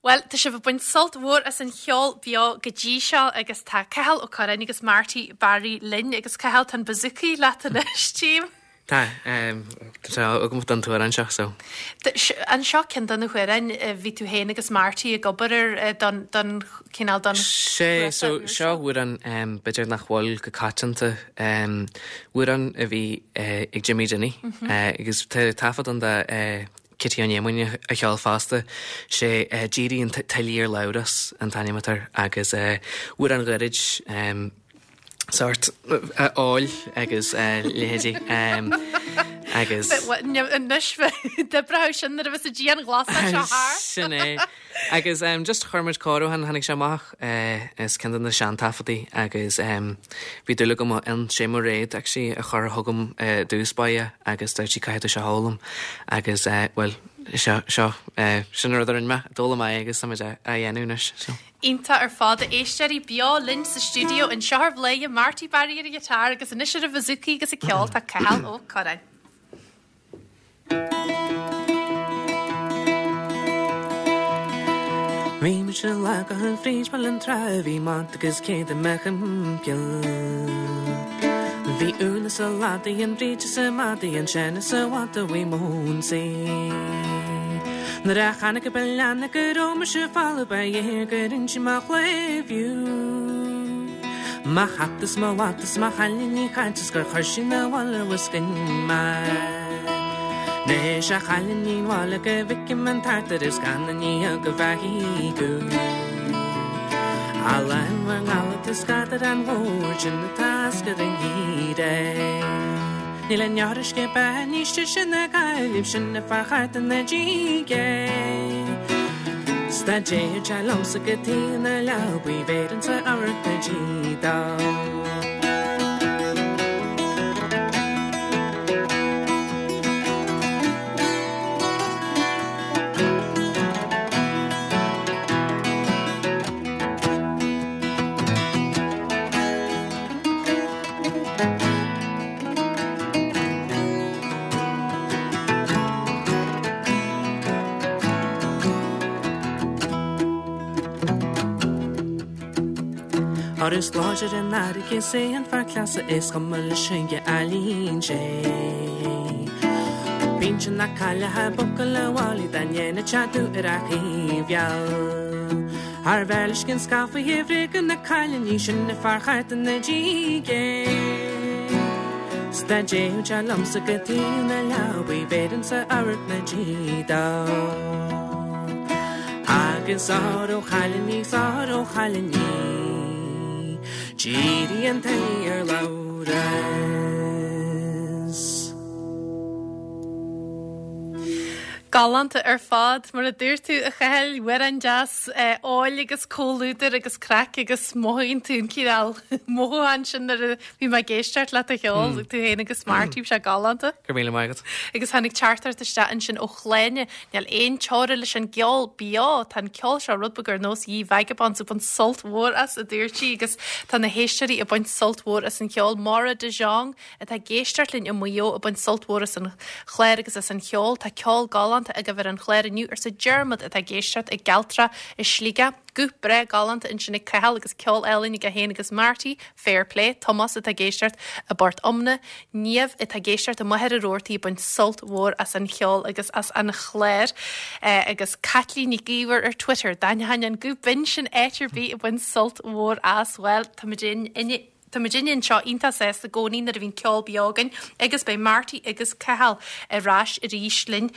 Bhuel, tá sibh ag baint sult mhór as an cheol beo go dtí seo agus tá Cathal Ó Curráin agus Marty Barry linn agus Cathal, tá an bouzouki leat anois, tchím. Tá, tá sé agam don t-amhrán seo, so. An seo ceann de na hamhráin a bhí tú féin agus Marty ag obair air don, don, cineál don Sé, so seo amhrán b'fhéidir nach bhfuil go coitianta, amhrán a bhí ag Jimmy Dinny agus tá taifead ann de Kitty Ó Néamáin a cheol fosta. Sé D'éirigh an tuile ar Labhrás an t-ainm atá air agus amhrán ghairid sórt óil agus leithéidí agus. Anois d'oibreodh sin nuair a bheas an dianghlasáil seo thart. Sin é. Agus just chuir muid cóiriúchán, tháinig sé amach as ceann de na seantaifeadtaí agus bhí dúil agam ann, sé Mairéad actually a chuir chugam i dtús báire agus dúirt sí caithfidh tú seo a fhoghlaim agus bhuel seo, seo, sin an rud a rinne mé, d'fhoghlaim mé é agus tá muid á dhéanamh anois so. Iontach ar fad, a éisteoirí, beo linn sa stiúideo anseo ar Bhladhaire, Marty Barry ar an ghiotár agus anois ar an bhouzouki agus ag ceol tá Cathal Ó Curráin. Bhí mise lá go fríd Baile an Trá bhí mada agus céad i mo thimpeall. Bhí Úna is a ladaí an Bríd is a madaí an sean is a mhada bhí m'ionsaí. Nuair a chonaic a leanna go raibh mise folamh ba ghéar gur inse mo chléibhiú. Mo chat is mo mhada is mo chailíní cainte is gur chuir sí 'na bhaile bhfuiscinn mé. Anois a chailíní 'bhaile go bhfeicim an tart ar is gan an oíche go bhfaighidh thú. Alan bhur ngallat is gadhar an bhoird sin atá ascar an gheimhridh. Níl an uisce beatha níos deise ná Gaillimh sin a fear cheart ina diaidh é. 'S dá dtéadh sé liomsa go taobh na leabaidh bhéarfainnse amharc na dí dó. Óir is láidir an fharraige is é an fear cleasa is cuma leis an gcailín sé. Bíonn na cailleacha bucail a bhailigh dá ndéanfadh sé dúth ar a thaobh Thar bheir leis cinn scafa bhréige na cailíní sin a fear cheart ina diaidh é. 'S dá dtéadh sé liomsa go taobh na leabaidh bhéarfainnse amharc na dí dó. Agus óró chailíní 's óró chailíní D'éirigh an tuile ar Labhrás. Galánta ar fad, mar a dúirt tú, a Chathail, amhrán deas óil agus comhluadar agus craic agus mothaíonn tú an cineál mothúchán sin nuair a bhí mé ag éisteacht leat a cheol, tú féin agus Marty, bhí sé galánta. Go raibh míle maith agat. Agus tháinig teachtaireacht isteach ansin ó Shláine, níl aon teora leis an gceol beo, tá an ceol seo rud beag ar nós Ye Vagabonds ag baint sult mhór as, a dúirt sí, agus tá na héisteoirí ag baint sult mhór as an cheol. Máire de Jong, atá ag éisteacht linn i Maigh Eo ag baint sult mhór as an chlár agus as an cheol. Tá ceol galánta agaibh ar an chlár inniu, arsa Diarmuid atá ag éisteacht i gCealtrach i Sligeach. Guth breá galánta ansin ag Cathal agus ceol álainn aige féin agus Marty, fair play. Tomás atá ag éisteacht i bPort Omna. Niamh atá ag éisteacht i Machaire Rabhartaigh ag baint sult mhór as an cheol agus as an chlár. Agus Caitlín Nic Íomhair ar Twitter, d'aithneoinn an guth binn sin áit ar bith ag baint sult mhór as. Bhuel, táimid in Tá muidinne anseo iontach sásta i gcónaí nuair a bhíonn ceol beo againn agus beidh Marty agus Cathal ar ais arís linn.